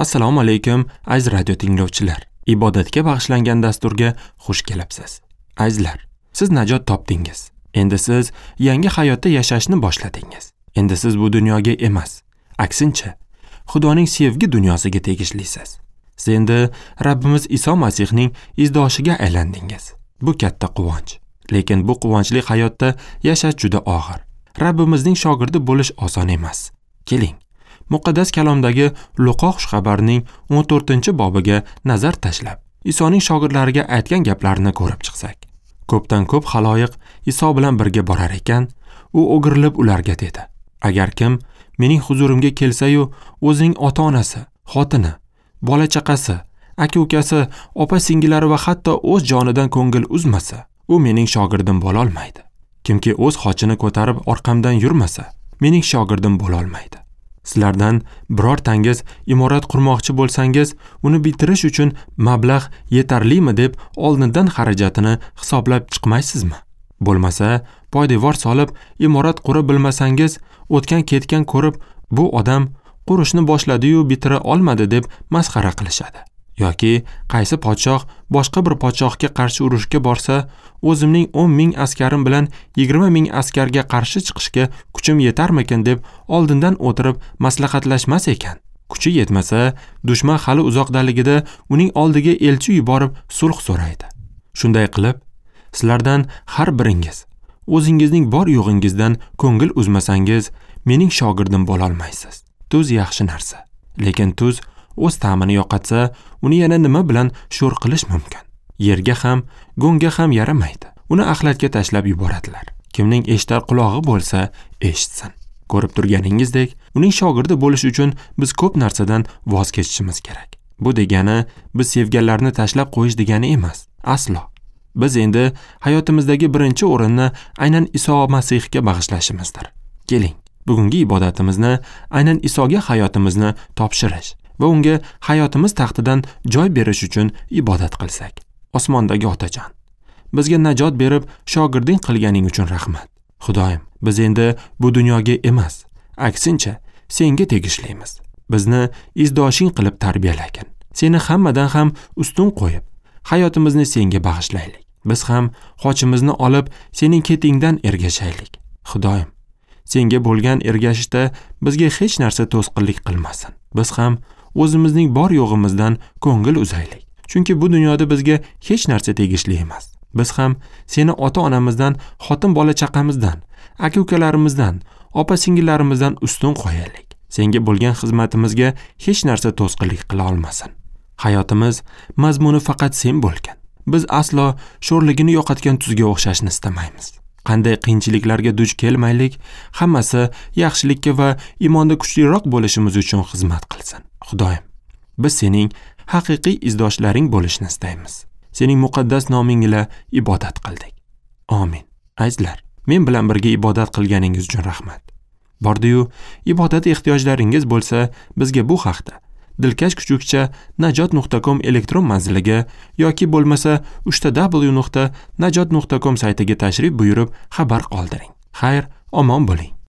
Assalomu alaykum, aziz radio tinglovchilar. Ibodatga bag'ishlangan dasturga xush kelibsiz. Azizlar, siz najot topdingiz. Endi siz yangi hayotda yashashni boshladingiz. Endi siz bu dunyoga emas, aksincha, Xudoning sevgi dunyosiga tegishlisiz. Siz endi Rabbimiz Iso Masihning izdoshiga aylandingiz. Bu katta quvonch. Lekin bu quvonchli hayotda yashash juda og'ir. Rabbimizning shogirdi bo'lish oson emas. Keling, muqaddas kalomdagi Luqo xushxabarining 14-bobiga nazar tashlab, Isoning shogirdlariga aytgan gaplarini ko'rib chiqsak. Ko'pdan ko'p xaloyiq Iso bilan birga borar ekan, u o'girilib ularga dedi: Agar kim mening huzurimga kelsa-yu, o'zining ota-onasi, xotini, bola chaqasi, aka-ukasi, opa-singillari va hatto o'z jonidan ko'ngil uzmasa, u mening shogirdim bo'la olmaydi. Kimki o'z xochini ko'tarib orqamdan yurmasa, mening shogirdim bo'la olmaydi. Sizlardan birortangiz imorat qurmoqchi bo'lsangiz, uni bitirish uchun mablag' yetarlimi deb oldindan xarajatini hisoblab chiqmaysizmi? Bo'lmasa, poydevor solib imorat qura bilmasangiz, o'tgan-ketgan ko'rib, bu odam qurishni boshladi-yu bitira olmadi deb masxara qilishadi. Yoki qaysi podshoh boshqa bir podshohga qarshi urushga borsa, o'zimning 10 ming askarim bilan 20 ming askarga qarshi chiqishga kuchim yetarmikin deb oldindan o'tirib maslahatlashmas ekan. Kuchi yetmasa, dushman hali uzoqdaligida uning oldiga elchi yuborib sulh so'raydi. Shunday qilib, sizlardan har biringiz o'zingizning bor yo'g'ingizdan ko'ngil uzmasangiz, mening shogirdim bo'la olmaysiz. Tuz yaxshi narsa, lekin tuz o'z ta'mini yo'qotsa, uni yana nima bilan sho'r qilish mumkin? Yerga ham, go'ngga ham yaramaydi. Uni axlatga tashlab yuboradilar. Kimning eshitar qulog'i bo'lsa, eshitsin. Ko'rib turganingizdek, uning shogirdi bo'lish uchun biz ko'p narsadan voz kechishimiz kerak. Bu degani biz sevganlarni tashlab qo'yish degani emas. Aslo. Biz endi hayotimizdagi birinchi o'rinni aynan Iso Masihga bag'ishlashimizdir. Keling, bugungi ibodatimizni aynan Isoga hayotimizni topshirish va unga hayotimiz taxtidan joy berish uchun ibodat qilsak. Osmondagi Otajon, bizga najot berib, shogirding qilganing uchun rahmat. Xudoyim, biz endi bu dunyoga emas, aksincha senga tegishlimiz. Bizni izdoshing qilib tarbiyalagin. Seni hammadan ham ustun qo'yib, hayotimizni senga bag'ishlaylik. Biz ham xochimizni olib, sening ketingdan ergashaylik. Xudoyim, senga bo'lgan ergashishda bizga hech narsa to'sqinlik qilmasin. Biz ham o'zimizning bor yo'g'imizdan ko'ngil uzaylik. Chunki bu dunyoda bizga hech narsa tegishli emas. Biz ham seni ota-onamizdan, xotin bola chaqamizdan, aka-ukalarimizdan, opa-singillarimizdan ustun qo'yaylik. Senga bo'lgan xizmatimizga hech narsa to'sqinlik qila olmasin. Hayotimiz mazmuni faqat sen bo'lgan. Biz aslo sho'rligini yo'qotgan tuzga o'xshashni istamaymiz. Qanday qiyinchiliklarga duch kelmaylik, hammasi yaxshilikka va iymonda kuchliroq bo'lishimiz uchun xizmat qilsin. Xudoyim, biz sening haqiqiy izdoshlaring bo'lishni istaymiz. Sening muqaddas noming ila ibodat qildik. Amin. Azizlar, men bilan birga ibodat qilganingiz uchun rahmat. Bordi-yu, ibodat ehtiyojlaringiz bo'lsa, bizga bu haqda dilkash@najot.com elektron manziliga yoki bo'lmasa www.najot.com saytiga tashrif buyurib xabar qoldiring. Xayr, omon bo'ling.